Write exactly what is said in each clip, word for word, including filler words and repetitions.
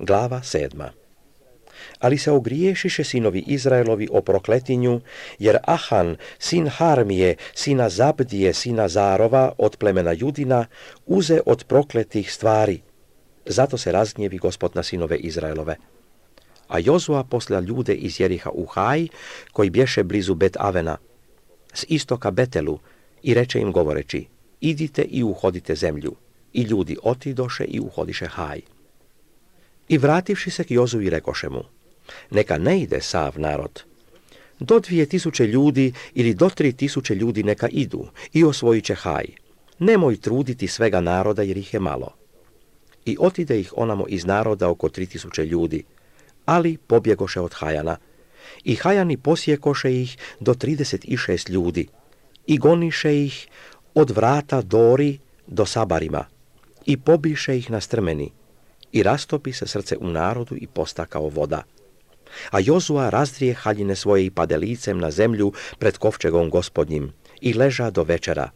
Glava sedma. Ali se ogriješiše sinovi Izraelovi o prokletinju, jer Ahan, sin Harmije, sina Zabdije, sina Zarova, od plemena Judina, uze od prokletih stvari. Zato se razgnjevi Gospod na sinove Izraelove. A Jozua posla ljude iz Jeriha u Haj, koji bješe blizu Bet Avena, s istoka Betelu, i reče im govoreći, idite i uhodite zemlju. I ljudi otidoše i uhodiše Haj. I vrativši se k Jozui rekoše mu, neka ne ide sav narod. Do dvije tisuće ljudi ili do tri tisuće ljudi neka idu i osvojit će Haj. Nemoj truditi svega naroda jer ih je malo. I otide ih onamo iz naroda oko tri tisuće ljudi, ali pobjegoše od Hajana. I Hajani posjekoše ih do trideset šest ljudi i goniše ih od vrata Dori do Sabarima i pobiše ih na strmeni i rastopi se srce u narodu i posta kao voda. A Jozua razdrije haljine svoje i pade licem na zemlju pred kovčegom Gospodnjim i leža do večera,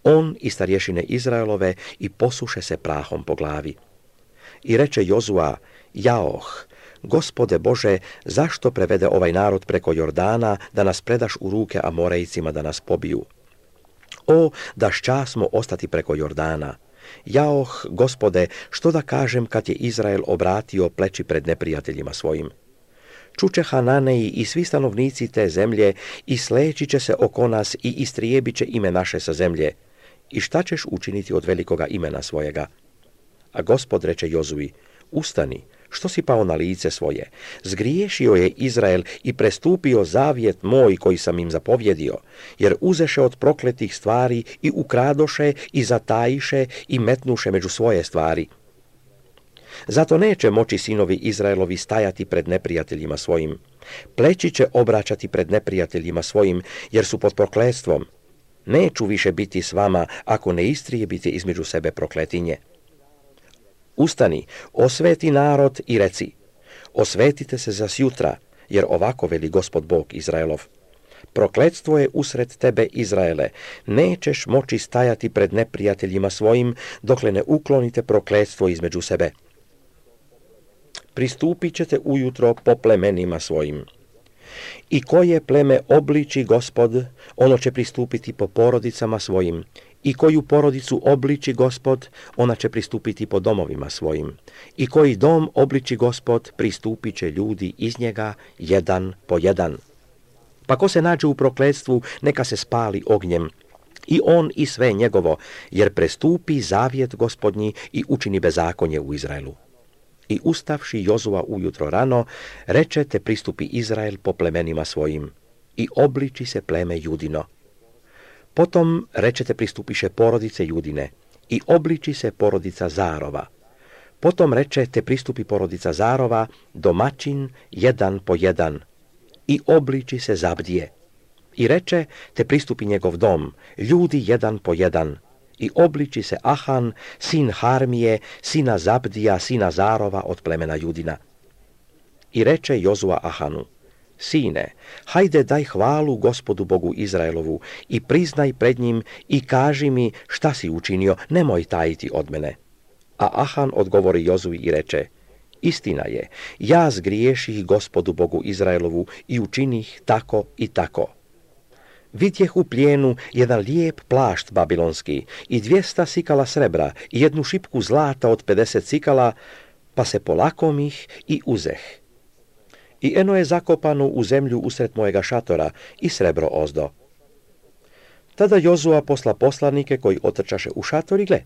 on i starješine Izraelove, i posuše se prahom po glavi. I reče Jozua, jaoh, Gospode Bože, zašto prevede ovaj narod preko Jordana da nas predaš u ruke Amorejcima da nas pobiju? O, da šćasmo ostati preko Jordana. Jaoh, Gospode, što da kažem kad je Izrael obratio pleći pred neprijateljima svojim? Čuče Hananeji i svi stanovnici te zemlje i sleći će se oko nas i istrijebit će ime naše sa zemlje. I šta ćeš učiniti od velikoga imena svojega? A Gospod reče Jozui, ustani, što si pao na lice svoje? Zgriješio je Izrael i prestupio zavjet moj koji sam im zapovjedio, jer uzeše od prokletih stvari i ukradoše i zatajiše i metnuše među svoje stvari. Zato neće moći sinovi Izraelovi stajati pred neprijateljima svojim. Pleći će obraćati pred neprijateljima svojim, jer su pod prokletstvom. Neću više biti s vama ako ne istrijebite između sebe prokletinje. Ustani, osveti narod i reci, osvetite se za sjutra, jer ovako veli Gospod Bog Izraelov. Prokletstvo je usred tebe, Izraele, nećeš moći stajati pred neprijateljima svojim, dokle ne uklonite prokletstvo između sebe. Pristupit ćete ujutro po plemenima svojim. I koje pleme obliči Gospod, ono će pristupiti po porodicama svojim. I koju porodicu obliči Gospod, ona će pristupiti po domovima svojim. I koji dom obliči Gospod, pristupit će ljudi iz njega jedan po jedan. Pa ko se nađe u prokletstvu, neka se spali ognjem, i on i sve njegovo, jer prestupi zavjet Gospodnji i učini bezakonje u Izraelu. I ustavši Jozua ujutro rano, reče te pristupi Izrael po plemenima svojim, i obliči se pleme Judino. Potom rečete pristupiše porodice Judine, i obliči se porodica Zarova. Potom rečete pristupi porodica Zarova, domaćin jedan po jedan, i obliči se Zabdije. I reče te pristupi njegov dom, ljudi jedan po jedan, i obliči se Ahan, sin Harmije, sina Zabdija, sina Zarova od plemena Judina. I reče Jozua Ahanu, sine, hajde daj hvalu Gospodu Bogu Izraelovu i priznaj pred njim i kaži mi šta si učinio, nemoj tajiti od mene. A Ahan odgovori Jozui i reče, istina je, ja zgriješih Gospodu Bogu Izraelovu i učinih tako i tako. Vidjeh u plijenu jedan lijep plašt babilonski i dvijesta sikala srebra i jednu šipku zlata od pedeset sikala, pa se polakomih i uzeh. I eno je zakopano u zemlju usred mojega šatora i srebro ozdo. Tada Jozua posla poslanike koji otrčaše u šator i gle,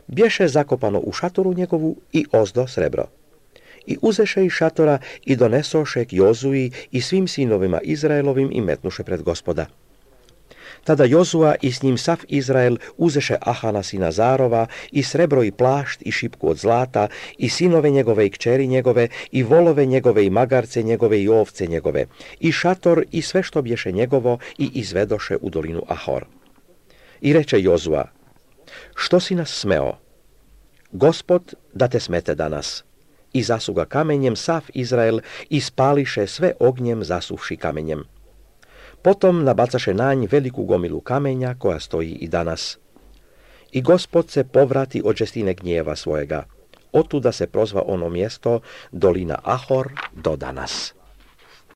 bješe zakopano u šatoru njegovu i ozdo srebro. I uzeše iz šatora i donesoše k Jozui i svim sinovima Izraelovim i metnuše pred Gospoda. Tada Jozua i s njim sav Izrael uzeše Ahana sina Zarova i srebro i plašt i šipku od zlata i sinove njegove i kćeri njegove i volove njegove i magarce njegove i ovce njegove i šator i sve što bješe njegovo i izvedoše u dolinu Ahor. I reče Jozua, što si nas smeo? Gospod da te smete danas. I zasuga kamenjem sav Izrael i spališe sve ognjem zasuvši kamenjem. Potom nabacaše na nj veliku gomilu kamenja koja stoji i danas. I Gospod se povrati od žestine gnjeva svojega. Otuda se prozva ono mjesto Dolina Ahor do danas.